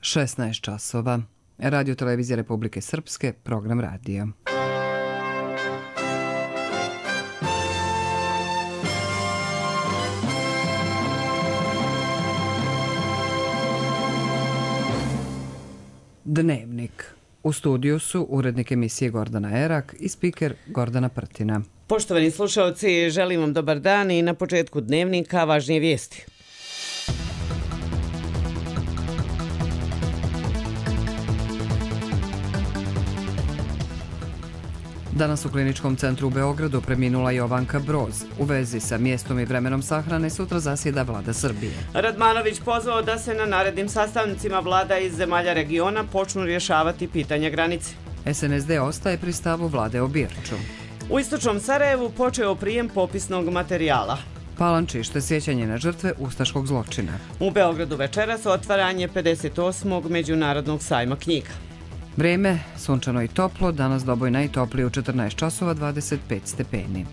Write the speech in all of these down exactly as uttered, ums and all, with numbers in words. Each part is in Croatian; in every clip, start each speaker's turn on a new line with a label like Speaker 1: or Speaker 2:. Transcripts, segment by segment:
Speaker 1: šesnaest časova. Radio Televizija Republike Srpske, program radija. Dnevnik. U studiju su urednik emisije Gordana Erak i spiker Gordana Prtina.
Speaker 2: Poštovani slušalci, želim vam dobar dan i na početku dnevnika važnije vijesti.
Speaker 1: Danas u Kliničkom centru u Beogradu preminula Jovanka Broz. U vezi sa mjestom i vremenom sahrane sutra zasjeda Vlada Srbije.
Speaker 2: Radmanović pozvao da se na narednim sastancima vlada iz zemalja regiona počnu rješavati pitanja granice.
Speaker 1: S N S D ostaje pri stavu vlade o Birču.
Speaker 2: U istočnom Sarajevu počeo prijem popisnog materijala.
Speaker 1: Palančište, sjećanje na žrtve ustaškog zločina.
Speaker 2: U Beogradu večeras otvaranje pedeset osmog Međunarodnog sajma knjiga.
Speaker 1: Vrijeme, sunčano i toplo, danas doboj najtoplije u četrnaest časova dvadeset pet stepeni.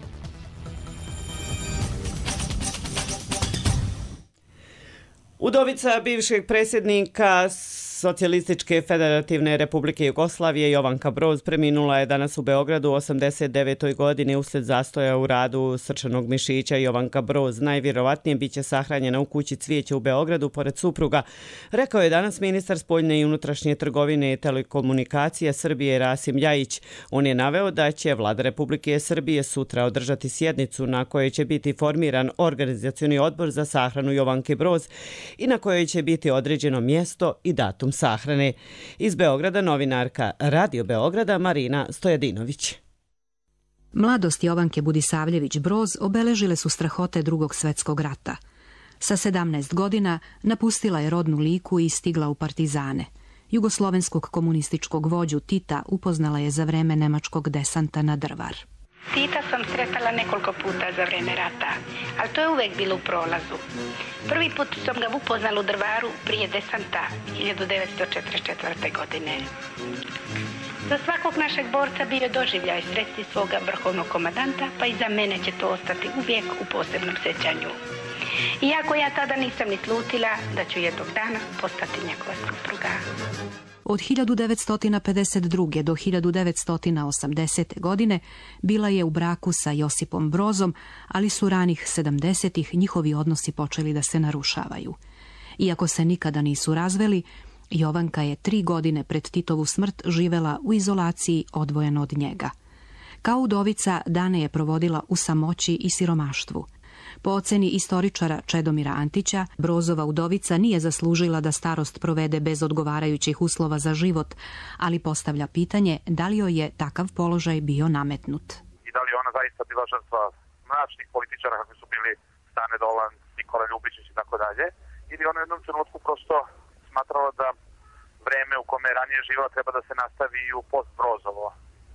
Speaker 2: Udovica bivšeg predsjednika Socijalističke federativne republike Jugoslavije Jovanka Broz preminula je danas u Beogradu u osamdeset devetoj godini uslijed zastoja u radu srčanog mišića. Jovanka Broz najvjerovatnije biće sahranjena u kući Cvijeće u Beogradu pored supruga, rekao je danas ministar spoljne i unutrašnje trgovine i telekomunikacije Srbije Rasim Ljajić. On je naveo da će Vlada Republike Srbije sutra održati sjednicu na kojoj će biti formiran organizacioni odbor za sahranu Jovanke Broz i na kojoj će biti određeno mjesto i datum sahrane. Iz Beograda novinarka Radio Beograda Marina Stojadinović.
Speaker 3: Mladost Jovanke Budisavljević Broz obeležile su strahote Drugog svjetskog rata. Sa sedamnaest godina napustila je rodnu Liku i stigla u partizane. Jugoslovenskog komunističkog vođu Tita upoznala je za vreme nemačkog desanta na Drvar.
Speaker 4: Tita sam sretala nekoliko puta za vreme rata, ali to je uvek bilo u prolazu. Prvi put sam ga upoznala u Drvaru prije desanta hiljadu devetsto četrdeset četvrte. godine. Za svakog našeg borca bio je doživljaj sresti svoga vrhovnog komandanta, pa i za mene će to ostati uvijek u posebnom sjećanju. Iako ja tada nisam ni slutila da ću jednog dana postati njegova supruga.
Speaker 3: Od hiljadu devetsto pedeset druge. do hiljadu devetsto osamdesete. godine bila je u braku sa Josipom Brozom, ali su ranih sedamdesetih njihovi odnosi počeli da se narušavaju. Iako se nikada nisu razveli, Jovanka je tri godine pred Titovu smrt živela u izolaciji odvojeno od njega. Kao udovica dane je provodila u samoći i siromaštvu. Po oceni istoričara Čedomira Antića, Brozova udovica nije zaslužila da starost provede bez odgovarajućih uslova za život, ali postavlja pitanje da li joj je takav položaj bio nametnut.
Speaker 5: I da li ona zaista bila žrtva mračnih političara kakvi su bili Stane Dolan, Nikola Ljubičić i tako dalje, ili ona u jednom trenutku prosto smatrala da vreme u kome je ranije živjela treba da se nastavi i u post-Brozovo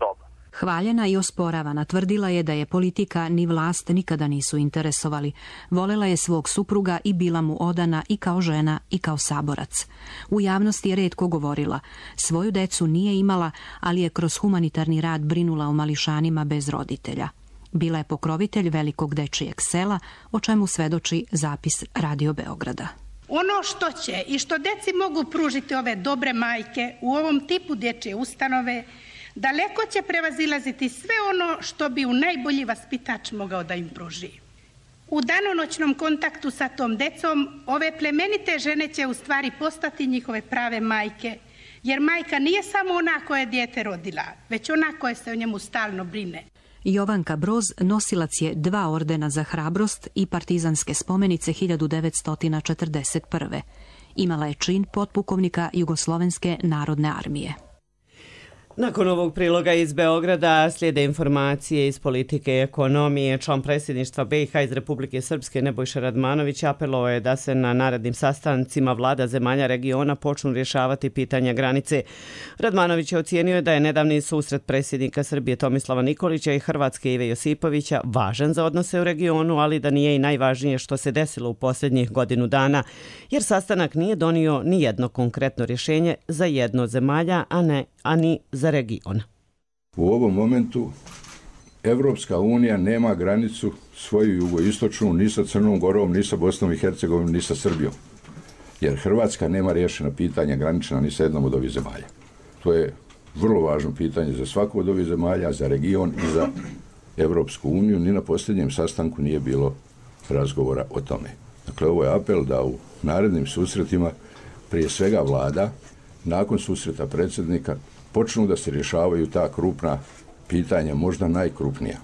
Speaker 5: doba.
Speaker 3: Hvaljena i osporavana, tvrdila je da je politika ni vlast nikada nisu interesovali. Volela je svog supruga i bila mu odana i kao žena i kao saborac. U javnosti je retko govorila. Svoju decu nije imala, ali je kroz humanitarni rad brinula o mališanima bez roditelja. Bila je pokrovitelj velikog dečijeg sela, o čemu svedoči zapis Radio Beograda.
Speaker 4: Ono što će i što deci mogu pružiti ove dobre majke u ovom tipu dječje ustanove, daleko će prevazilaziti sve ono što bi u najbolji vaspitač mogao da im pruži. U danonoćnom kontaktu sa tom decom, ove plemenite žene će u stvari postati njihove prave majke, jer majka nije samo ona koja je dijete rodila, već ona koja se o njemu stalno brine.
Speaker 3: Jovanka Broz nosilac je dva ordena za hrabrost i partizanske spomenice hiljadu devetsto četrdeset prve. Imala je čin potpukovnika Jugoslovenske narodne armije.
Speaker 2: Nakon ovog priloga iz Beograda slijede informacije iz politike i ekonomije. Član predsjedništva B i H iz Republike Srpske Nebojša Radmanović apelovao je da se na narednim sastancima vlada zemalja regiona počnu rješavati pitanja granice. Radmanović je ocijenio da je nedavni susret predsjednika Srbije Tomislava Nikolića i Hrvatske Ive Josipovića važan za odnose u regionu, ali da nije i najvažnije što se desilo u posljednjih godinu dana, jer sastanak nije donio ni jedno konkretno rješenje za jedno od zemalja, a ne a ni za region.
Speaker 6: U ovom momentu Evropska unija nema granicu svoju jugoistočnu ni sa Crnom Gorom, ni sa Bosnom i Hercegovinom, ni sa Srbijom. jer Hrvatska nema riješena pitanja granična ni sa jednom od ovih zemalja. To je vrlo važno pitanje za svaku od ovih zemalja, za region i za Evropsku uniju. Ni na posljednjem sastanku nije bilo razgovora o tome. Dakle, ovo je apel da u narednim susretima prije svega vlada, nakon susreta predsjednika, počnu da se rješavaju ta krupna pitanja, možda najkrupnija.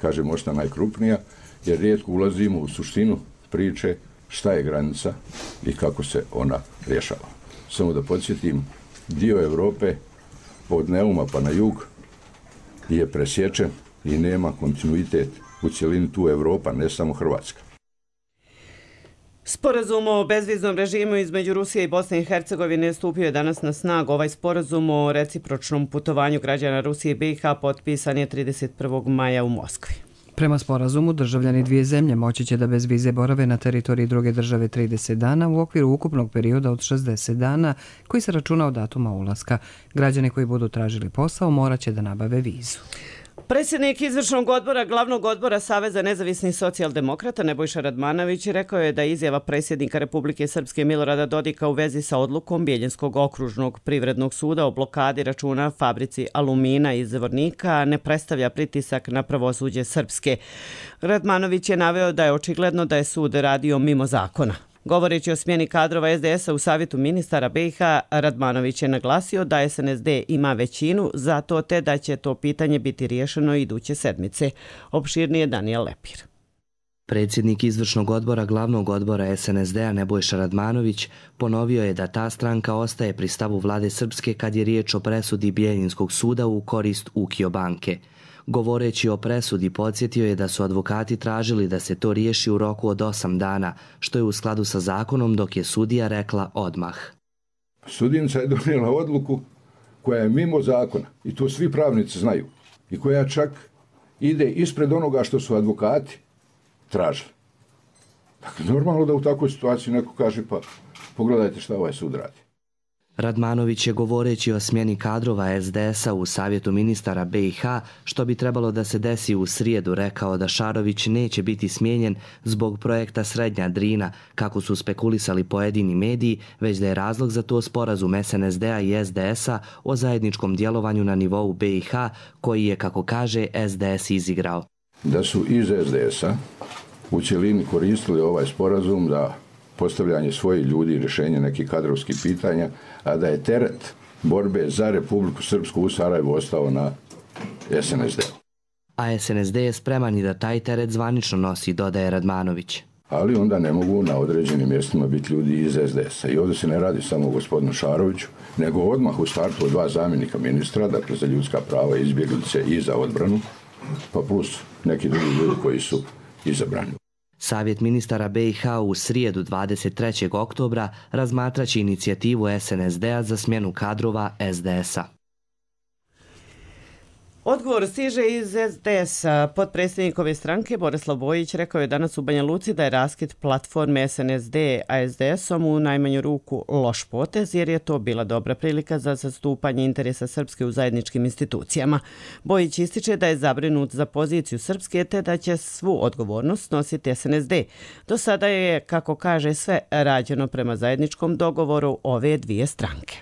Speaker 6: Kažem možda najkrupnija, jer rijetko ulazimo u suštinu priče šta je granica i kako se ona rješava. Samo da podsjetim, dio Europe od Neuma pa na jug je presječen i nema kontinuitet u cjelini tu Europa, ne samo Hrvatska.
Speaker 2: Sporazum o bezviznom režimu između Rusije i Bosne i Hercegovine stupio je danas na snagu. Ovaj sporazum o recipročnom putovanju građana Rusije i B i H potpisan je trideset prvog maja u Moskvi.
Speaker 1: Prema sporazumu, državljani dvije zemlje moći će da bez vize borave na teritoriji druge države trideset dana u okviru ukupnog perioda od šezdeset dana koji se računa od datuma ulaska. Građani koji budu tražili posao morat će da nabave vizu.
Speaker 2: Predsjednik izvršnog odbora glavnog odbora Saveza nezavisnih socijaldemokrata Nebojša Radmanović rekao je da izjava predsjednika Republike Srpske Milorada Dodika u vezi sa odlukom Bijeljinskog okružnog privrednog suda o blokadi računa fabrici Alumina iz Zvornika ne predstavlja pritisak na pravosuđe Srpske. Radmanović je naveo da je očigledno da je sud radio mimo zakona. Govoreći o smjeni kadrova es de esa u Savjetu ministara be i ha, Radmanović je naglasio da es en es de ima većinu za to te da će to pitanje biti riješeno iduće sedmice. Opširnije Danijel Lepir.
Speaker 7: Predsjednik izvršnog odbora glavnog odbora es en es de-a Nebojša Radmanović ponovio je da ta stranka ostaje pri stavu vlade Srpske kad je riječ o presudi Bijeljinskog suda u korist Ukio banke. Govoreći o presudi, podsjetio je da su advokati tražili da se to riješi u roku od osam dana, što je u skladu sa zakonom, dok je sudija rekla odmah.
Speaker 6: Sudjenica je donijela odluku koja je mimo zakona i to svi pravnici znaju i koja čak ide ispred onoga što su advokati tražili. Dakle, normalno da u takvoj situaciji neko kaže pa pogledajte šta ovaj sud radi.
Speaker 7: Radmanović je govoreći o smjeni kadrova es de esa u Savjetu ministara be i ha, što bi trebalo da se desi u srijedu, rekao da Šarović neće biti smijenjen zbog projekta Srednja Drina, kako su spekulisali pojedini mediji, već da je razlog za to sporazum es en es de-a i es de esa o zajedničkom djelovanju na nivou be i ha, koji je, kako kaže, es de es izigrao.
Speaker 6: Da su iz es de esa u cjelini koristili ovaj sporazum za postavljanje svojih ljudi i rješenje nekih kadrovskih pitanja, a da je teret borbe za Republiku Srpsku u Sarajevu ostao na es en es de-u.
Speaker 7: A es en es de je spreman i da taj teret zvanično nosi, dodaje Radmanović.
Speaker 6: Ali onda ne mogu na određenim mjestima biti ljudi iz es de esa. I ovdje se ne radi samo o gospodinu Šaroviću, nego odmah u startu od dva zamjenika ministra, dakle za ljudska prava, izbjeglice i za odbranu, pa plus neki drugi ljudi koji su izabrani.
Speaker 7: Savjet ministara be i ha u srijedu dvadeset trećeg oktobra razmatraće inicijativu es en es de-a za smjenu kadrova es de esa.
Speaker 2: Odgovor stiže iz es de esa. Potpredsjednikove stranke Borislav Bojić rekao je danas u Banja Luci da je raskid platforme es en es de a es de esom u najmanju ruku loš potez, jer je to bila dobra prilika za zastupanje interesa Srpske u zajedničkim institucijama. Bojić ističe da je zabrinut za poziciju Srpske te da će svu odgovornost nositi es en es de. Do sada je, kako kaže, sve rađeno prema zajedničkom dogovoru ove dvije stranke.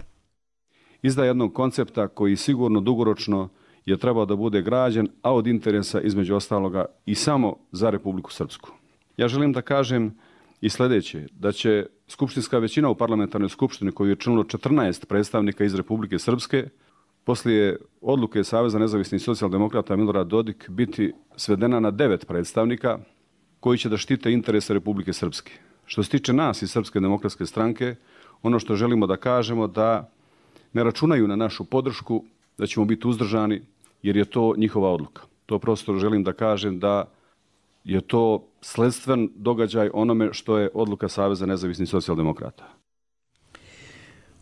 Speaker 8: Izda jednog koncepta koji sigurno dugoročno je trebao da bude građen, a od interesa između ostaloga i samo za Republiku Srpsku. Ja želim da kažem i sljedeće, da će skupštinska većina u parlamentarnoj skupštini koju je činilo četrnaest predstavnika iz Republike Srpske, poslije odluke Saveza nezavisnih socijaldemokrata Milorad Dodik biti svedena na devet predstavnika koji će da štite interese Republike Srpske. Što se tiče nas iz Srpske demokratske stranke, ono što želimo da kažemo da ne računaju na našu podršku, da ćemo biti uzdržani, jer je to njihova odluka. To prosto želim da kažem da je to sledstven događaj onome što je odluka Saveza nezavisnih socijaldemokrata.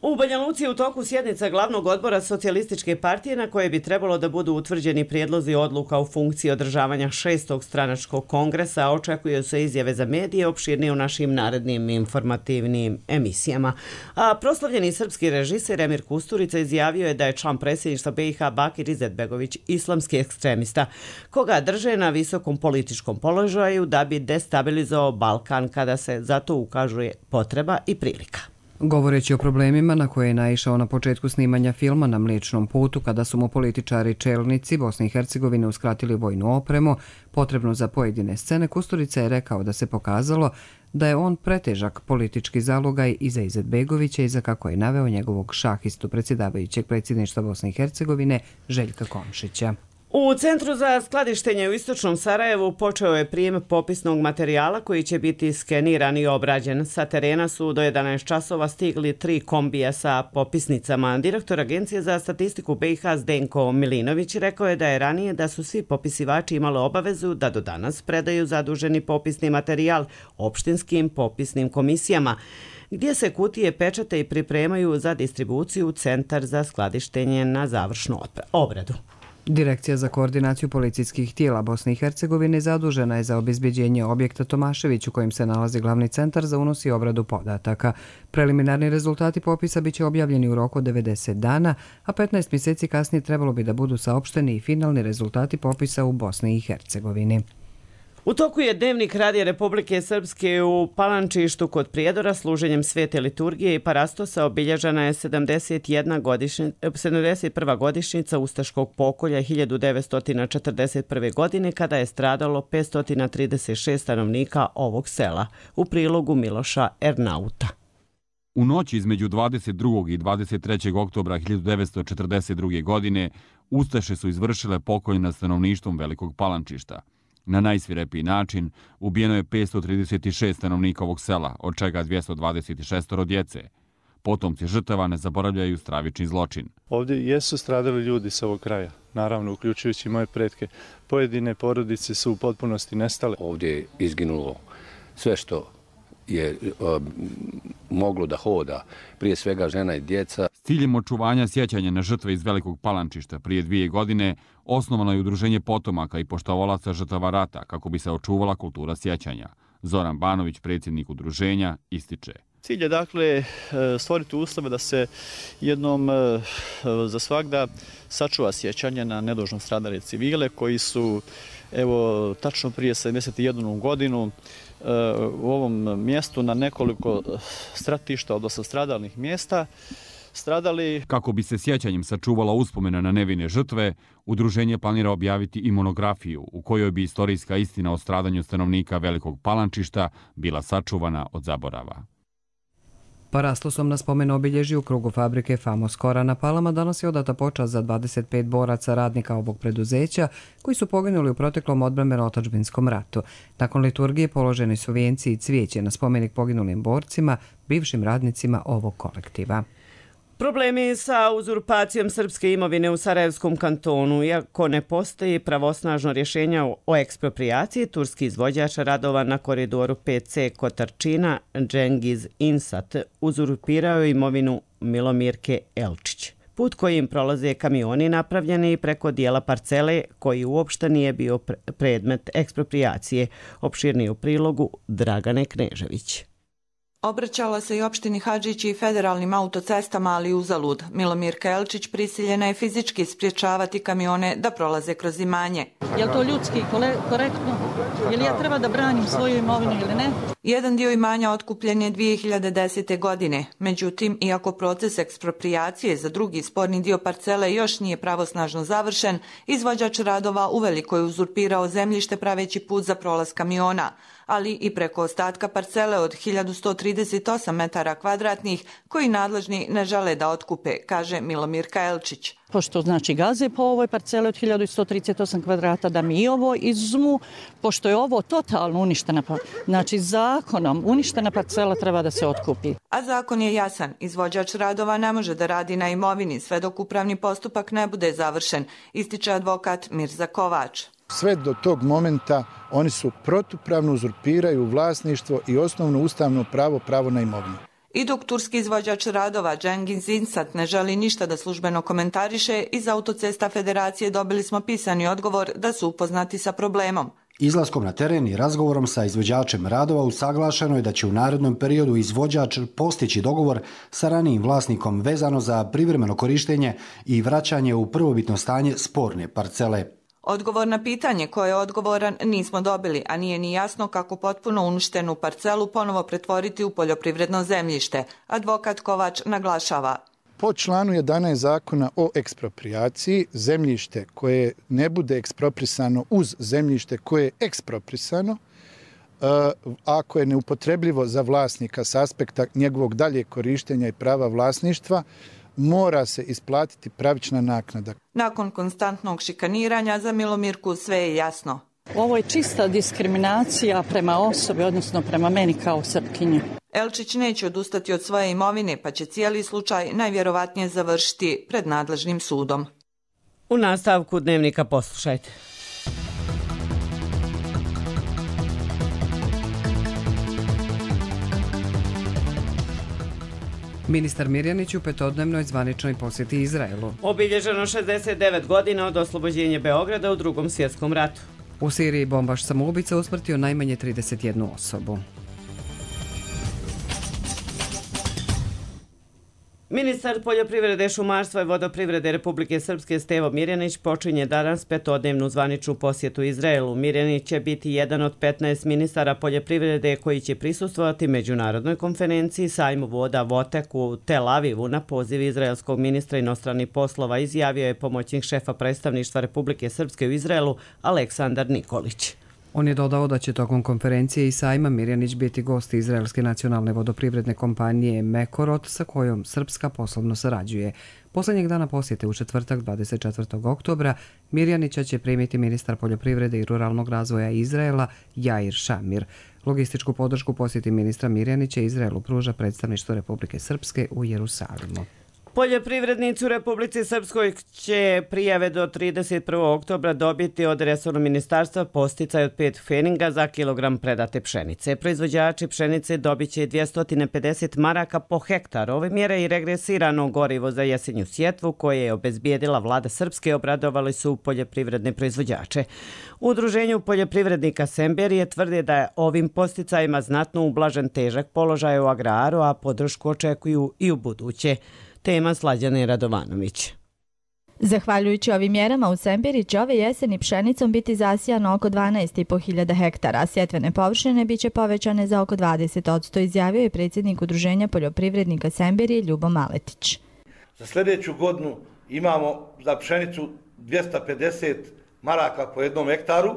Speaker 2: U Banja Luci je u toku sjednica glavnog odbora Socijalističke partije na koje bi trebalo da budu utvrđeni prijedlozi odluka u funkciji održavanja šestog stranačkog kongresa, a očekuju se izjave za medije, opširnije u našim narednim informativnim emisijama. A proslavljeni srpski režiser Emir Kusturica izjavio je da je član predsjedništva be i ha Bakir Izetbegović islamski ekstremista, koga drže na visokom političkom položaju da bi destabilizovao Balkan kada se za to ukazuje potreba i prilika.
Speaker 1: Govoreći o problemima na koje je naišao na početku snimanja filma Na Mliječnom putu, kada su mu političari čelnici Bosne i Hercegovine uskratili vojnu opremu potrebnu za pojedine scene, Kusturica je rekao da se pokazalo da je on pretežak politički zalogaj i za Izetbegovića i za, kako je naveo, njegovog šahistu predsjedavajućeg predsjedništva Bosne i Hercegovine Željka Komšića.
Speaker 2: U Centru za skladištenje u Istočnom Sarajevu počeo je prijem popisnog materijala koji će biti skeniran i obrađen. Sa terena su do jedanaest časova stigli tri kombija sa popisnicama. Direktor Agencije za statistiku B i H Zdenko Milinović rekao je da je ranije da su svi popisivači imali obavezu da do danas predaju zaduženi popisni materijal opštinskim popisnim komisijama, gdje se kutije pečate i pripremaju za distribuciju u Centar za skladištenje na završnu obradu.
Speaker 1: Direkcija za koordinaciju policijskih tijela Bosne i Hercegovine zadužena je za obezbeđenje objekta Tomašević u kojem se nalazi glavni centar za unos i obradu podataka. Preliminarni rezultati popisa biće objavljeni u roku od devedeset dana, a petnaest mjeseci kasnije trebalo bi da budu saopšteni i finalni rezultati popisa u Bosni i Hercegovini.
Speaker 2: U toku je Dnevnik Radija Republike Srpske u Palančištu kod Prijedora služenjem svete liturgije i parastosa obilježena je sedamdeset prva godišnjica ustaškog pokolja hiljadu devetsto četrdeset prve. godine kada je stradalo petsto trideset šest stanovnika ovog sela. U prilogu Miloša Ernauta.
Speaker 9: U noći između dvadeset drugog i dvadeset trećeg oktobra hiljadu devetsto četrdeset druge. godine Ustaše su izvršile pokolj nad stanovništvom Velikog Palančišta. Na najsvirepiji način ubijeno je petsto trideset šest stanovnika ovog sela, od čega dvjesto dvadeset šest djece. Potomci žrtava ne zaboravljaju stravični zločin.
Speaker 10: Ovdje jesu stradali ljudi sa ovog kraja, naravno uključujući moje pretke. Pojedine porodice su u potpunosti nestale.
Speaker 11: Ovdje je izginulo sve što je um, moglo da hoda, prije svega žena i djeca.
Speaker 9: S ciljem očuvanja sjećanja na žrtve iz Velikog Palančišta prije dvije godine osnovano je udruženje potomaka i poštovalaca žrtava rata kako bi se očuvala kultura sjećanja. Zoran Banović, predsjednik udruženja, ističe.
Speaker 12: Cilj je dakle stvoriti uslove da se jednom za svagda sačuva sjećanje na nedužno stradale civile koji su evo tačno prije sedamdeset jednu godinu u ovom mjestu na nekoliko stratišta, odnosno stradalnih mjesta, stradali.
Speaker 9: Kako bi se sjećanjem sačuvala uspomena na nevine žrtve, udruženje planira objaviti i monografiju u kojoj bi istorijska istina o stradanju stanovnika Velikog Palančišta bila sačuvana od zaborava.
Speaker 1: Parastosom na spomen obilježju u krugu fabrike Famos Kora na Palama danas je odata počast za dvadeset pet boraca radnika ovog preduzeća koji su poginuli u proteklom odbrambeno-otadžbinskom ratu. Nakon liturgije položeni su vijenci i cvijeće na spomenik poginulim borcima, bivšim radnicima ovog kolektiva.
Speaker 2: Problemi sa uzurpacijom srpske imovine u Sarajevskom kantonu. Iako ne postoji pravosnažno rješenje o eksproprijaciji, turski izvođač radova na koridoru P C Kotarčina, Cengiz Insat, uzurpirao imovinu Milomirke Elčić. Put kojim prolaze kamioni napravljeni preko dijela parcele koji uopšte nije bio predmet eksproprijacije. Opširnije u prilogu Dragane Knežević.
Speaker 13: Obraćala se i opštini Hadžić i federalnim autocestama, ali uzalud. Milomirka Elčić prisiljena je fizički spriječavati kamione da prolaze kroz imanje.
Speaker 14: Je li to ljudski korektno? Je li ja treba da branim svoju imovinu ili ne?
Speaker 13: Jedan dio imanja otkupljen je dvije hiljade desete. godine. Međutim, iako proces eksproprijacije za drugi sporni dio parcele još nije pravosnažno završen, izvođač radova uveliko je uzurpirao zemljište praveći put za prolaz kamiona, ali i preko ostatka parcele od hiljadu sto trideset osam metara kvadratnih koji nadležni ne žele da otkupe, kaže Milomirka Elčić.
Speaker 14: Pošto znači gaze po ovoj parceli od hiljadu sto trideset osam kvadrata da mi ovo izuzmu, pošto je ovo totalno uništena, znači zakonom uništena parcela treba da se otkupi.
Speaker 13: A zakon je jasan, izvođač radova ne može da radi na imovini sve dok upravni postupak ne bude završen, ističe advokat Mirza Kovač.
Speaker 15: Sve do tog momenta oni su protupravno uzurpiraju vlasništvo i osnovno ustavno pravo, pravo na imovinu.
Speaker 13: I dok turski izvođač radova Cengiz Insat ne želi ništa da službeno komentariše, iz Autocesta Federacije dobili smo pisani odgovor da su upoznati sa problemom.
Speaker 16: Izlaskom na teren i razgovorom sa izvođačem radova usaglašeno je da će u narednom periodu izvođač postići dogovor sa ranijim vlasnikom vezano za privremeno korištenje i vraćanje u prvobitno stanje sporne parcele.
Speaker 13: Odgovor na pitanje ko je odgovoran nismo dobili, a nije ni jasno kako potpuno uništenu parcelu ponovo pretvoriti u poljoprivredno zemljište. Advokat Kovač naglašava.
Speaker 15: Po članu jedanaest zakona o eksproprijaciji, zemljište koje ne bude eksproprisano uz zemljište koje je eksproprisano, ako je neupotrebljivo za vlasnika s aspekta njegovog daljeg korištenja i prava vlasništva, mora se isplatiti pravična naknada.
Speaker 13: Nakon konstantnog šikaniranja za Milomirku sve je jasno.
Speaker 14: Ovo je čista diskriminacija prema osobi, odnosno prema meni kao Srpkinji.
Speaker 13: Elčić neće odustati od svoje imovine, pa će cijeli slučaj najvjerovatnije završiti pred nadležnim sudom.
Speaker 2: U nastavku Dnevnika poslušajte.
Speaker 1: Ministar Mirjanić u petodnevnoj zvaničnoj posjeti Izraelu.
Speaker 2: Obilježeno šezdeset devet godina od oslobođenja Beograda u Drugom svjetskom ratu.
Speaker 1: U Siriji bombaš samoubica usmrtio najmanje trideset jednu osobu.
Speaker 2: Ministar poljoprivrede, šumarstva i vodoprivrede Republike Srpske Stevo Mirjanić počinje danas petodnevnu zvaničnu posjetu Izraelu. Mirjanić će biti jedan od petnaest ministara poljoprivrede koji će prisustvovati međunarodnoj konferenciji sajmu voda Votek u Tel Avivu na poziv izraelskog ministra inostranih poslova, izjavio je pomoćnik šefa predstavništva Republike Srpske u Izraelu Aleksandar Nikolić.
Speaker 1: On je dodao da će tokom konferencije i sajma Mirjanić biti gost izraelske nacionalne vodoprivredne kompanije Mekorot sa kojom Srpska poslovno sarađuje. Poslednjeg dana posjete u četvrtak dvadeset četvrtog oktobra Mirjanića će primiti ministar poljoprivrede i ruralnog razvoja Izraela Jair Šamir. Logističku podršku posjeti ministra Mirjanića Izraelu pruža predstavništvo Republike Srpske u Jerusalimu.
Speaker 2: Poljoprivrednici u Republici Srpskoj će prijave do trideset prvog oktobra dobiti od resornog ministarstva podsticaj od pet pfeninga za kilogram predate pšenice. Proizvođači pšenice dobit će dvjesto pedeset maraka po hektar. Ove mjere i regresirano gorivo za jesenju sjetvu koje je obezbijedila vlada Srpske obradovali su poljoprivredne proizvođače. U Udruženju poljoprivrednika Semberije tvrde da je ovim podsticajima znatno ublažen težak položaj u agraru, a podršku očekuju i u buduće. Tema Slađane Radovanović.
Speaker 17: Zahvaljujući ovim mjerama u Sembiri će ove jeseni pšenicom biti zasijano oko dvanaest i po hiljada hektara, a sjetvene površine biće povećane za oko dvadeset posto, izjavio je predsjednik Udruženja poljoprivrednika Sembirije Ljubo Maletić.
Speaker 18: Za sljedeću godinu imamo za pšenicu dvjesto pedeset maraka po jednom hektaru,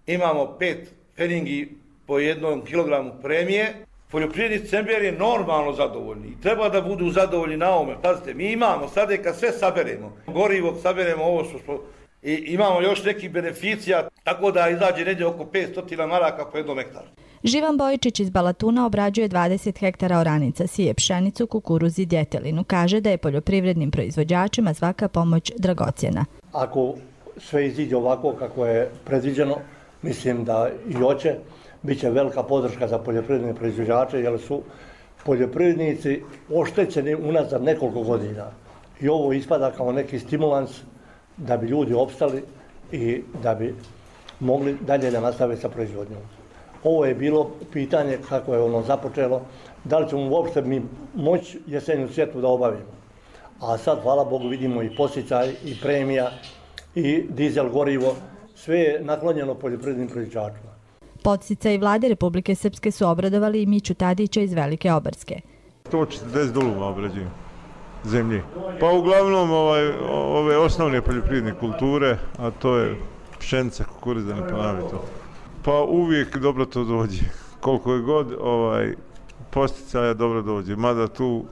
Speaker 18: imamo pet pfeningi po jednom kilogramu premije. Poljoprivrednici Semberije normalno zadovoljni i treba da budu zadovoljni na ovome. Pazite, mi imamo sada kad sve saberemo, gorivo saberemo ovo što smo, i imamo još nekih beneficija, tako da izađe negdje oko petsto maraka po jednom hektaru.
Speaker 17: Živan Bojičić iz Balatuna obrađuje dvadeset hektara oranica, sije pšenicu, kukuruz i djetelinu. Kaže da je poljoprivrednim proizvođačima svaka pomoć dragocjena.
Speaker 19: Ako sve iziđe ovako kako je predviđeno, mislim da i hoće, biće velika podrška za poljoprivredne proizvođače jer su poljoprivrednici oštećeni unazad nekoliko godina. I ovo ispada kao neki stimulans da bi ljudi opstali i da bi mogli dalje da nastave sa proizvodnjom. Ovo je bilo pitanje kako je ono započelo, da li ćemo uopšte mi moći jesenju sjetvu da obavimo. A sad, hvala Bogu, vidimo i podsticaj, i premija, i dizel gorivo, sve je naklonjeno poljoprivrednim proizvođačima.
Speaker 17: Podsticaj vlade Republike Srpske su obradovali i Miću Tadića iz Velike Obarske.
Speaker 20: sto četrdeset duluma obrađujem zemlje. Pa uglavnom ovaj, ove osnovne poljoprivredne kulture, a to je pšenica, kukuruz, da ne ponavljam to. Pa uvijek dobro to dođe. Koliko je god ovaj, posticaja dobro dođe. Mada tu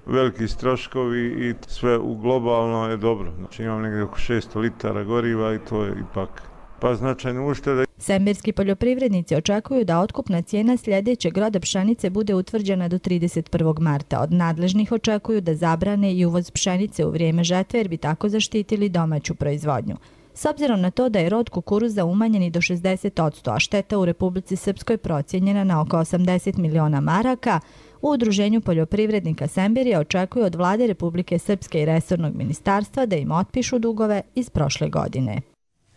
Speaker 20: veliki troškovi i sve u globalno je dobro. Znači imam negdje oko šesto litara goriva i to je ipak pa značajno ušteda.
Speaker 17: Sembirski poljoprivrednici očekuju da otkupna cijena sljedećeg roda pšenice bude utvrđena do trideset prvog marta. Od nadležnih očekuju da zabrane i uvoz pšenice u vrijeme žetve jer bi tako zaštitili domaću proizvodnju. S obzirom na to da je rod kukuruza umanjen i do šezdeset posto, a šteta u Republici Srpskoj procijenjena na oko osamdeset miliona maraka, u Udruženju poljoprivrednika Sembirije očekuju od vlade Republike Srpske i resornog ministarstva da im otpišu dugove iz prošle godine.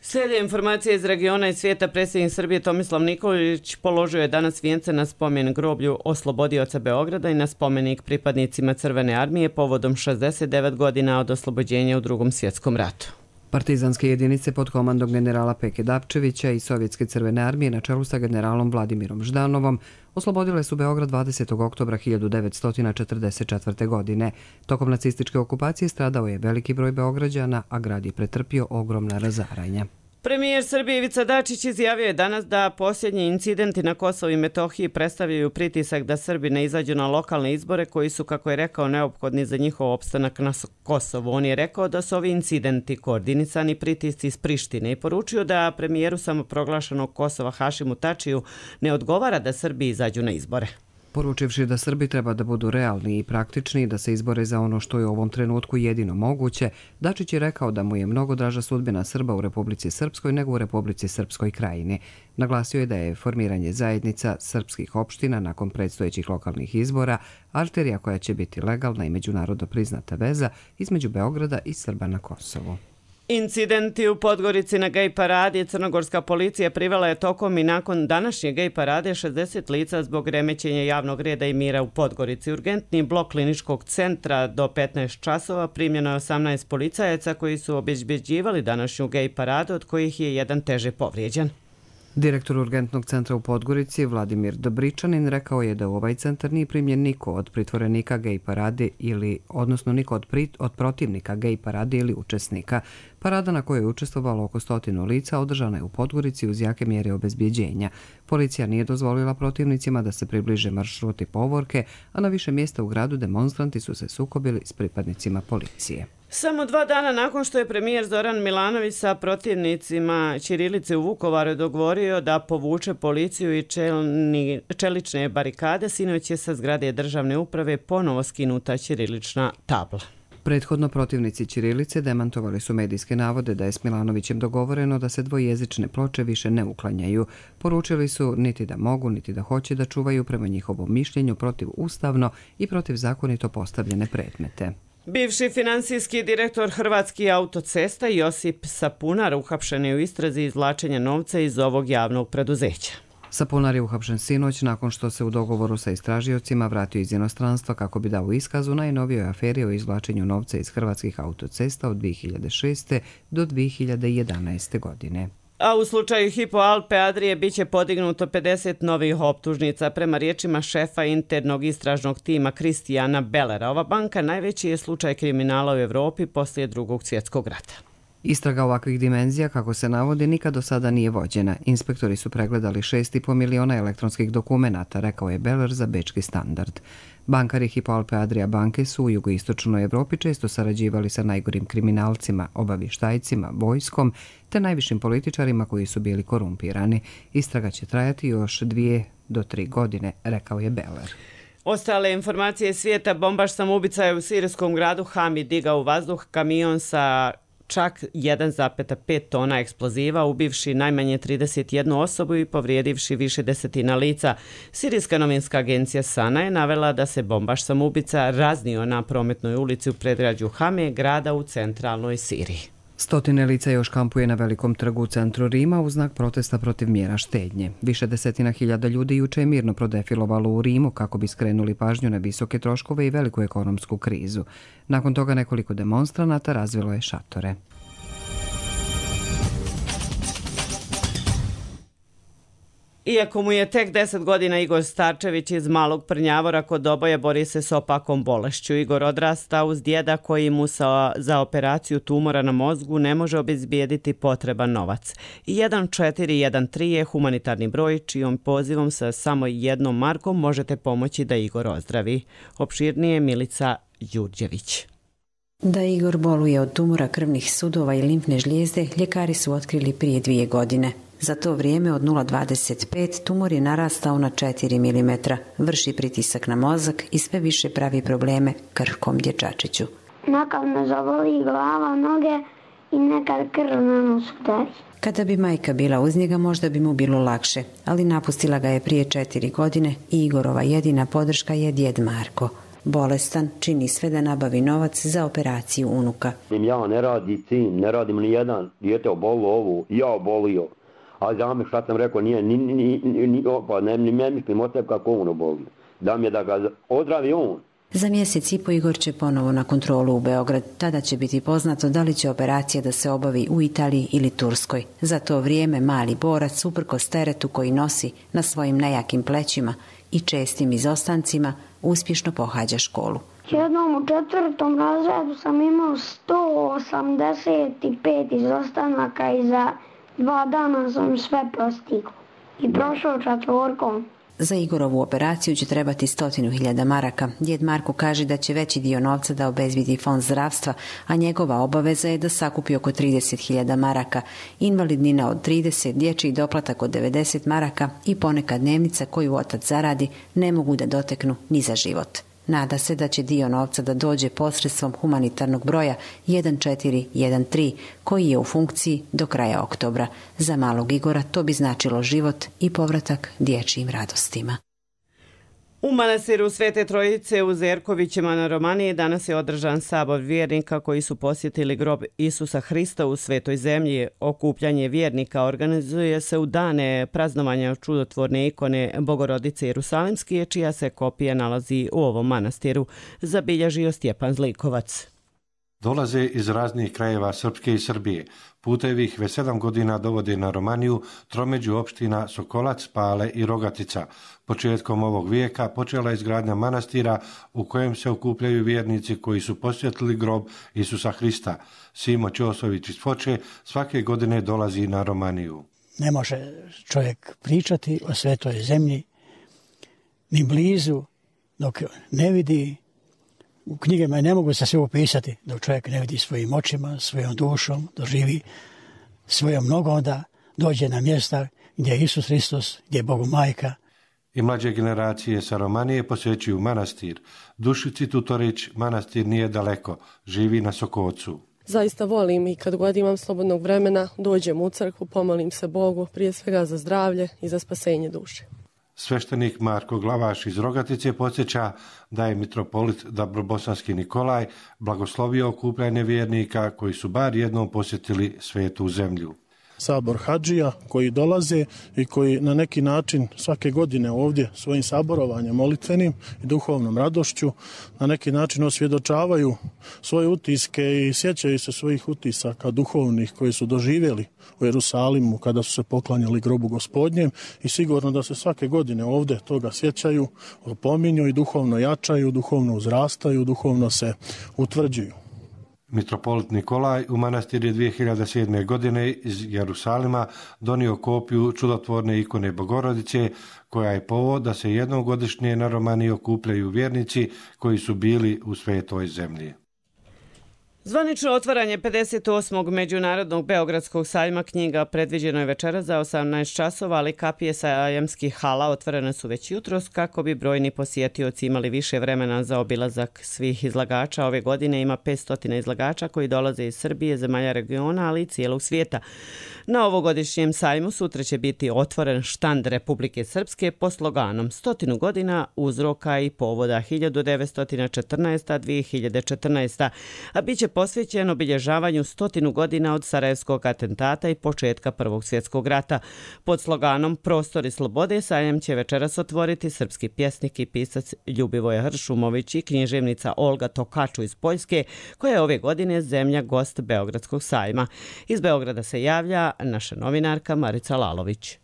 Speaker 2: Slijede informacije iz regiona i svijeta. Predsjednik Srbije Tomislav Nikolić položio je danas vijence na spomen groblju oslobodioca Beograda i na spomenik pripadnicima Crvene armije povodom šezdeset devet godina od oslobođenja u Drugom svjetskom ratu.
Speaker 1: Partizanske jedinice pod komandom generala Peke Dapčevića i Sovjetske crvene armije na čelu sa generalom Vladimirom Ždanovom oslobodile su Beograd dvadesetog oktobra hiljadu devetsto četrdeset četvrte. godine. Tokom nacističke okupacije stradao je veliki broj Beograđana, a grad je pretrpio ogromna razaranja.
Speaker 2: Premijer Srbije Ivica Dačić izjavio je danas da posljednji incidenti na Kosovu i Metohiji predstavljaju pritisak da Srbi ne izađu na lokalne izbore koji su, kako je rekao, neophodni za njihov opstanak na Kosovu. On je rekao da su ovi incidenti koordinisani pritisci iz Prištine i poručio da premijeru samoproglašenog Kosova Hašimu Tačiju ne odgovara da Srbi izađu na izbore.
Speaker 1: Poručivši da Srbi treba da budu realni i praktični i da se izbore za ono što je u ovom trenutku jedino moguće, Dačić je rekao da mu je mnogo draža sudbina Srba u Republici Srpskoj nego u Republici Srpskoj Krajini. Naglasio je da je formiranje zajednica srpskih opština nakon predstojećih lokalnih izbora arterija koja će biti legalna i međunarodno priznata veza između Beograda i Srba na Kosovu.
Speaker 2: Incidenti u Podgorici na gej paradi crnogorska policija privela je tokom i nakon današnje gej parade šezdeset lica zbog remećenja javnog reda i mira u Podgorici. Urgentni blok kliničkog centra do petnaest časova primljeno je osamnaest policajaca koji su obezbeđivali današnju gej paradu, od kojih je jedan teže povrijeđen.
Speaker 1: Direktor urgentnog centra u Podgorici, Vladimir Dobričanin, rekao je da u ovaj centar nije primljen niko od pritvorenika gej parade ili, odnosno niko od, prit, od protivnika gej parade ili učesnika. Parada na kojoj je učestvovalo oko stotinu lica održana je u Podgorici uz jake mjere obezbjeđenja. Policija nije dozvolila protivnicima da se približe maršruti povorke, a na više mjesta u gradu demonstranti su se sukobili s pripadnicima policije.
Speaker 2: Samo dva dana nakon što je premijer Zoran Milanović sa protivnicima ćirilice u Vukovaru dogovorio da povuče policiju i čelni, čelične barikade, sinoć je sa zgrade državne uprave ponovo skinuta ćirilična tabla.
Speaker 1: Prethodno protivnici ćirilice demantovali su medijske navode da je s Milanovićem dogovoreno da se dvojezične ploče više ne uklanjaju. Poručili su niti da mogu, niti da hoće da čuvaju prema njihovom mišljenju protiv ustavno i protiv zakonito postavljene predmete.
Speaker 2: Bivši finansijski direktor Hrvatskih autocesta Josip Sapunar uhapšen je u istrazi izvlačenja novca iz ovog javnog preduzeća.
Speaker 1: Sapunar je uhapšen sinoć nakon što se u dogovoru sa istražiocima vratio iz inostranstva kako bi dao iskaz u najnovijoj aferi o izvlačenju novca iz Hrvatskih autocesta od dvije hiljade šeste. do dvije hiljade jedanaeste. godine.
Speaker 2: A u slučaju Hypo Alpe Adrije biće podignuto pedeset novih optužnica. Prema riječima šefa internog istražnog tima Kristijana Bellera, ova banka najveći je slučaj kriminala u Evropi poslije drugog svjetskog rata.
Speaker 1: Istraga ovakvih dimenzija, kako se navodi, nikad do sada nije vođena. Inspektori su pregledali šest i po miliona elektronskih dokumenata, rekao je Beller za Bečki standard. Bankari Hypo Alpe Adria banke su u jugoistočnoj Evropi često sarađivali sa najgorim kriminalcima, obavještajcima, vojskom te najvišim političarima koji su bili korumpirani. Istraga će trajati još dvije do tri godine, rekao je Beller.
Speaker 2: Ostale informacije svijeta: bombaš samoubica je u sirijskom gradu Hami digao u vazduh kamion sa čak jedan zarez pet tona eksploziva, ubivši najmanje trideset jednu osobu i povrijedivši više desetina lica. Sirijska novinska agencija Sana je navela da se bombaš samoubica raznio na prometnoj ulici u predgrađu Hame, grada u centralnoj Siriji.
Speaker 1: Stotine lica još kampuje na velikom trgu u centru Rima u znak protesta protiv mjera štednje. Više desetina hiljada ljudi juče je mirno prodefilovalo u Rimu kako bi skrenuli pažnju na visoke troškove i veliku ekonomsku krizu. Nakon toga nekoliko demonstranata razvilo je šatore.
Speaker 2: Iako mu je tek deset godina, Igor Starčević iz Malog Prnjavora kod Doboja bori se s opakom bolešću. Igor odrasta uz djeda koji mu sa, za operaciju tumora na mozgu ne može obezbijediti potreban novac. jedan četiri jedan tri je humanitarni broj čijom pozivom sa samo jednom markom možete pomoći da Igor ozdravi. Opširnije Milica Đurđević.
Speaker 21: Da Igor boluje od tumora krvnih sudova i limfne žlijezde, ljekari su otkrili prije dvije godine. Za to vrijeme od nula zarez dvadeset pet tumor je narastao na četiri milimetra, vrši pritisak na mozak i sve više pravi probleme krhkom dječačiću.
Speaker 22: Nekad me zavoli glava, noge i nekad krv na nos udari.
Speaker 21: Kada bi majka bila uz njega, možda bi mu bilo lakše, ali napustila ga je prije četiri godine i Igorova jedina podrška je djed Marko. Bolestan, čini sve da nabavi novac za operaciju unuka.
Speaker 23: Ja ne radi sin, ne radim ni jedan, dijete obolu ovu, ja obolio. A za me šta sam rekao, nije, ni, ni, ni, ni, pa ne, ni ne mislim o tebi kako on obolio. Da mi je da ga ozdravi on,
Speaker 21: Za mjesec i po Igor će ponovo na kontrolu u Beograd. Tada će biti poznato da li će operacija da se obavi u Italiji ili Turskoj. Za to vrijeme mali borac, uprkos teretu koji nosi na svojim nejakim plećima i čestim izostancima, uspješno pohađa školu.
Speaker 22: Jednom u četvrtom razredu sam imao sto osamdeset pet izostanaka i za dva dana sam sve postigao i prošao četvorkom.
Speaker 21: Za Igorovu operaciju će trebati stotinu hiljada maraka. Djed Marko kaže da će veći dio novca da obezbijedi fond zdravstva, a njegova obaveza je da sakupi oko trideset hiljada maraka, invalidnina od trideset, dječji doplatak od devedeset maraka i ponekad dnevnica koju otac zaradi ne mogu da doteknu ni za život. Nada se da će dio novca da dođe posredstvom humanitarnog broja jedan četiri jedan tri, koji je u funkciji do kraja oktobra. Za malog Igora to bi značilo život i povratak dječjim radostima.
Speaker 2: U manastiru Svete Trojice u Zerkovićima na Romaniji danas je održan sabor vjernika koji su posjetili grob Isusa Hrista u Svetoj zemlji. Okupljanje vjernika organizuje se u dane praznovanja čudotvorne ikone Bogorodice Jerusalimske, čija se kopija nalazi u ovom manastiru, zabilježio Stjepan Zlikovac.
Speaker 3: Dolaze iz raznih krajeva Srpske i Srbije. Putevi ih već sedam godina dovode na Romaniju, tromeđu opština Sokolac, Pale i Rogatica. Početkom ovog vijeka počela je izgradnja manastira u kojem se okupljaju vjernici koji su posjetili grob Isusa Hrista. Simo Ćosović iz Foče svake godine dolazi na Romaniju.
Speaker 4: Ne može čovjek pričati o Svetoj zemlji ni blizu dok ne vidi. U knjigama ne mogu se sve opisati dok čovjek ne vidi svojim očima, svojom dušom, doživi svojom nogom da dođe na mjesta gdje je Isus Hristos, gdje je Bogu majka.
Speaker 3: I mlađe generacije sa Romanije posjećuju manastir. Dušici Tutorić manastir nije daleko, živi na Sokocu.
Speaker 5: Zaista volim i kad god imam slobodnog vremena dođem u crkvu, pomolim se Bogu prije svega za zdravlje i za spasenje duše.
Speaker 3: Sveštenik Marko Glavaš iz Rogatice podsjeća da je mitropolit Dabrobosanski Nikolaj blagoslovio okupljanje vjernika koji su bar jednom posjetili Svetu zemlju.
Speaker 24: Sabor hadžija koji dolaze i koji na neki način svake godine ovdje svojim saborovanjem molitvenim i duhovnom radošću na neki način osvjedočavaju svoje utiske i sjećaju se svojih utisaka duhovnih koji su doživjeli u Jerusalimu kada su se poklanjali grobu Gospodnjem i sigurno da se svake godine ovdje toga sjećaju, opominju i duhovno jačaju, duhovno uzrastaju, duhovno se utvrđuju.
Speaker 3: Mitropolit Nikolaj u manastir je dvije hiljade sedme. godine iz Jerusalima donio kopiju čudotvorne ikone Bogorodice, koja je povod da se jednom godišnje na Romaniji okupljaju vjernici koji su bili u Svetoj zemlji.
Speaker 2: Zvanično otvaranje pedeset osmog Međunarodnog Beogradskog sajma knjiga predviđeno je večera za osamnaest časova, ali kapije sajamskih hala otvorene su već jutros kako bi brojni posjetioci imali više vremena za obilazak svih izlagača. Ove godine ima petsto izlagača koji dolaze iz Srbije, zemalja regiona, ali i cijelog svijeta. Na ovogodišnjem sajmu sutra će biti otvoren štand Republike Srpske po sloganom stotinu godina uzroka i povoda hiljadu devetsto četrnaesta do dvije hiljade četrnaeste. a bit će posvećen obilježavanju stotinu godina od Sarajevskog atentata i početka Prvog svjetskog rata. Pod sloganom Prostori slobode sajam će večeras otvoriti srpski pjesnik i pisac Ljubivoje Hršumović i književnica Olga Tokaču iz Poljske, koja je ove godine zemlja gost Beogradskog sajma. Iz Beograda se javlja naša novinarka Marica Lalović.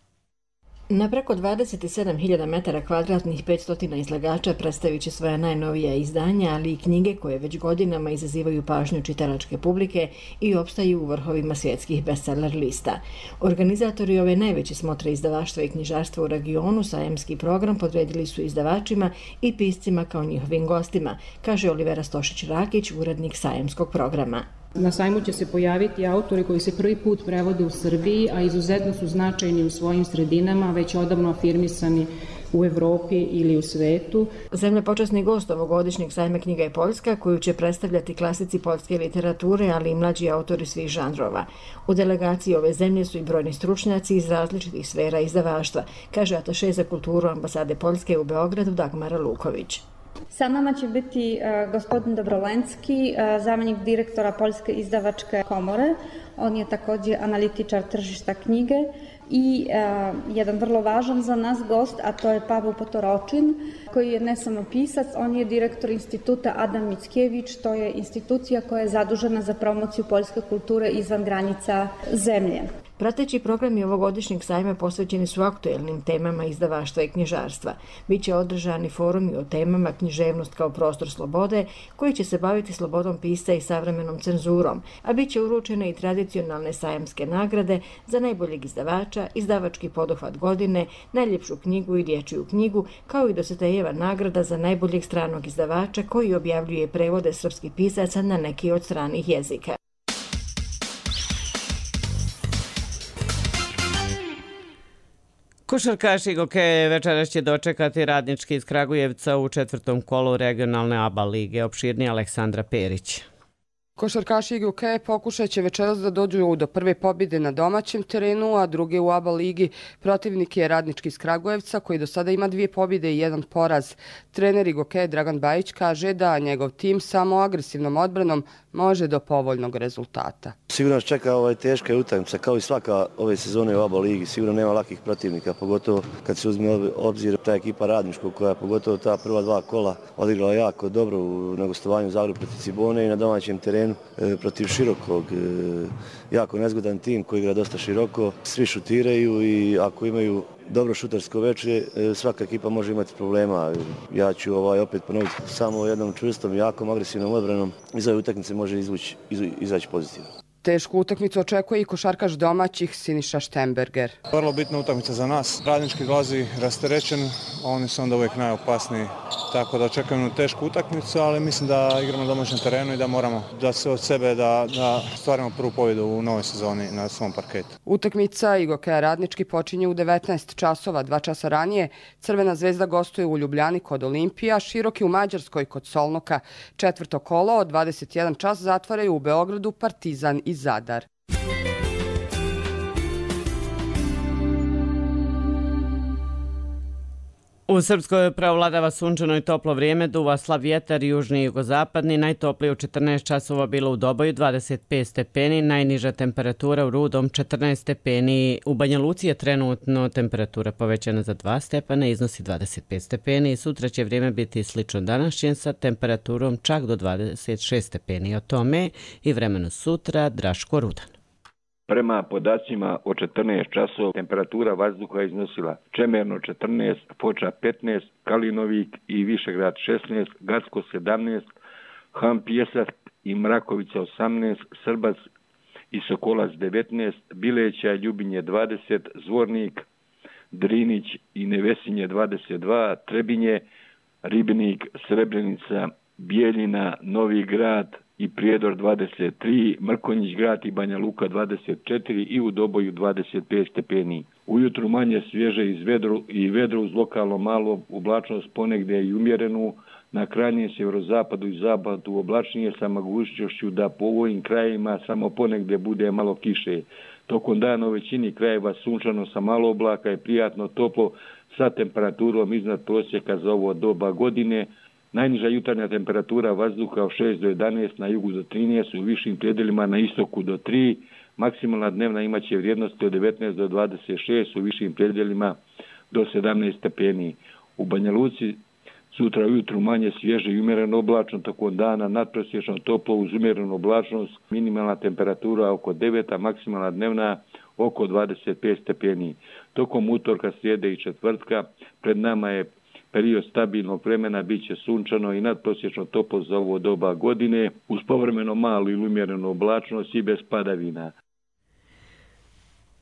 Speaker 25: Na preko dvadeset sedam hiljada metara kvadratnih petsto izlagača predstavit će svoja najnovija izdanja, ali i knjige koje već godinama izazivaju pažnju čitalačke publike i opstaju u vrhovima svjetskih bestseller lista. Organizatori ove najveće smotre izdavaštva i knjižarstva u regionu sajamski program podredili su izdavačima i piscima kao njihovim gostima, kaže Olivera Stošić-Rakić, urednik sajamskog programa.
Speaker 26: Na sajmu će se pojaviti autori koji se prvi put prevode u Srbiji, a izuzetno su značajni u svojim sredinama, već odavno afirmisani u Evropi ili u svetu.
Speaker 25: Zemlja počasni gost ovogodišnjeg sajma knjiga je Poljska, koju će predstavljati klasici poljske literature, ali i mlađi autori svih žanrova. U delegaciji ove zemlje su i brojni stručnjaci iz različitih sfera izdavaštva, kaže ataše za kulturu ambasade Poljske u Beogradu Dagmara Luković.
Speaker 27: Sa nama će biti uh, gospodin Dobrolenski, uh, zamjenik direktora Poljske izdavačke komore. On je također analitičar tržišta knjige i a, jedan vrlo važan za nas gost, a to je Pavel Potoročin, koji je ne samo pisac, on je direktor instituta Adam Mickiewicz, to je institucija koja je zadužena za promociju poljske kulture izvan granica zemlje.
Speaker 25: Prateći programi ovogodišnjeg sajma posvećeni su aktuelnim temama izdavaštva i knjižarstva. Biće održani forumi o temama književnost kao prostor slobode, koji će se baviti slobodom pisca i savremenom cenzurom, a bit će uručene i tradicionalne sajamske nagrade za najboljeg izdavača, izdavački poduhvat godine, najljepšu knjigu i dječju knjigu, kao i Dositejeva nagrada za najboljeg stranog izdavača koji objavljuje prevode srpskih pisaca na neki od stranih jezika.
Speaker 2: Košarkaši Gokeja večeras će dočekati Radnički iz Kragujevca u četvrtom kolu regionalne A B A lige. Opširnije Aleksandra Perić.
Speaker 6: Košarkaši I G O K pokušat će večeras da dođu do prve pobjede na domaćem terenu, a druge u A B A ligi. Protivnik je Radnički iz Kragujevca, koji do sada ima dvije pobjede I jedan poraz. Trener I G O K Dragan Bajić kaže da njegov tim samo agresivnom odbranom može do povoljnog rezultata.
Speaker 7: Sigurno nas čeka ovaj teška utakmica, kao I svaka ove sezone u A B A ligi. Sigurno nema lakih protivnika, pogotovo kad se uzme obzir ta ekipa Radničkog, koja pogotovo ta prva dva kola odigrala jako dobro na gostovanju u Zagrebu protiv Cibone I na domaćem terenu protiv Širokog. Jako nezgodan tim koji igra dosta široko, svi šutiraju I ako imaju dobro šutarsko veče, svaka ekipa može imati problema. Ja ću ovaj opet ponoviti, samo jednom čvrstom, jakom, agresivnom odbranom iz ove utakmice može izvući, izaći pozitivno.
Speaker 6: Tešku utakmicu očekuje I košarkaš domaćih Siniša Štemberger.
Speaker 8: Vrlo bitna utakmica za nas. Radnički dolazi rasterećen, oni su onda uvijek najopasniji. Tako da očekujemo tešku utakmicu, ali mislim da igramo na domaćem terenu I da moramo da se od sebe da, da stvarimo prvu pobjedu u novoj sezoni na svom parketu.
Speaker 6: Utakmica I G O K Radnički počinje u devetnaest časova, dva časa ranije. Crvena zvezda gostuje u Ljubljani kod Olimpija, Široki u Mađarskoj kod Solnoka. Četvrto kolo od dvadeset jedan čas zatvaraju u Beogradu Partizan I Zadar.
Speaker 2: U Srpskoj preovladava sunčano I toplo vrijeme, duva slab vjetar južni I jugozapadni, najtoplije u četrnaest časova bilo u Doboju dvadeset pet stepeni, najniža temperatura u Rudom četrnaest stepeni, u Banja Luci je trenutno temperatura povećana za dva stepena, iznosi dvadeset pet stepeni I sutra će vrijeme biti slično današnjem sa temperaturom čak do dvadeset šest stepeni. O tome I vremenu sutra Draško Rudan.
Speaker 9: Prema podacima od četrnaest časova temperatura vazduha iznosila Čemerno četrnaest, Foča petnaest, Kalinovik I Višegrad šesnaest, Gacko sedamnaest, Han Pjesak I Mrakovica osamnaest, Srbac I Sokolac devetnaest, Bileća I Ljubinje dvadeset, Zvornik, Drinić I Nevesinje dvadeset dva, Trebinje, Ribnik, Srebrenica, Bijeljina, Novi Grad I Prijedor dvadeset tri, Mrkonjić Grad I Banja Luka dvadeset četiri I u Doboju dvadeset pet stepeni. Ujutru manje svježe iz vedru i vedro uz lokalno malo oblačnost ponegdje I umjerenu, na krajnjem sjeverozapadu I zapadu oblačnije sa mogućnošću da po ovim krajevima samo ponegdje bude malo kiše. Tokom dana u većini krajeva sunčano sa malo oblaka I prijatno toplo sa temperaturom iznad prosjeka za ovo doba godine. Najniža jutarnja temperatura vazduha od šest do jedanaest, na jugu do trinaest, u višim predjelima na istoku do tri, maksimalna dnevna imaće vrijednosti od devetnaest do dvadeset šest, u višim predjelima do sedamnaest stepeni. U Banja Luci sutra ujutru manje svježe I umjereno oblačno, tokom dana nadprosječno toplo uz umjerenu oblačnost, minimalna temperatura oko devet, a maksimalna dnevna oko dvadeset pet stepeni. Tokom utorka, srijede I četvrtka pred nama je period stabilnog vremena, bit će sunčano I nadprosječno toplo za ovo doba godine, uz povremeno malu ili umjerenu oblačnost I bez padavina.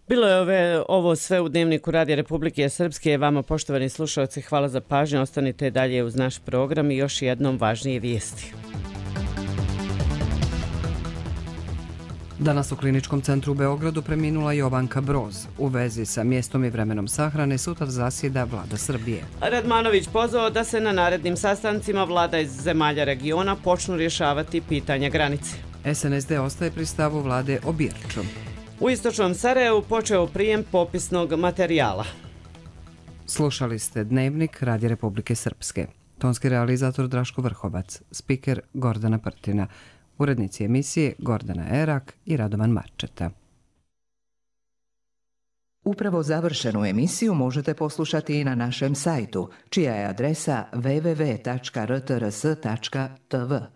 Speaker 2: Bilo je ove, ovo sve u Dnevniku Radija Republike Srpske. Vama, poštovani slušalci, hvala za pažnju. Ostanite dalje uz naš program I još jednom važnije vijesti.
Speaker 1: Danas u Kliničkom centru u Beogradu preminula Jovanka Broz. U vezi sa mjestom I vremenom sahrane sutra zasjeda Vlada Srbije.
Speaker 2: Radmanović pozvao da se na narednim sastancima vlada iz zemalja regiona počnu rješavati pitanja granice.
Speaker 1: S N S D ostaje pri stavu vlade o Birču.
Speaker 2: U istočnom Sarajevu počeo prijem popisnog materijala.
Speaker 1: Slušali ste Dnevnik Radija Republike Srpske. Tonski realizator Draško Vrhovac, spiker Gordana Prtina. Urednici emisije Gordana Erak I Radovan Marčeta.
Speaker 10: Upravo završenu emisiju možete poslušati i na našem sajtu, čija je adresa w w w tačka r t r s tačka t v.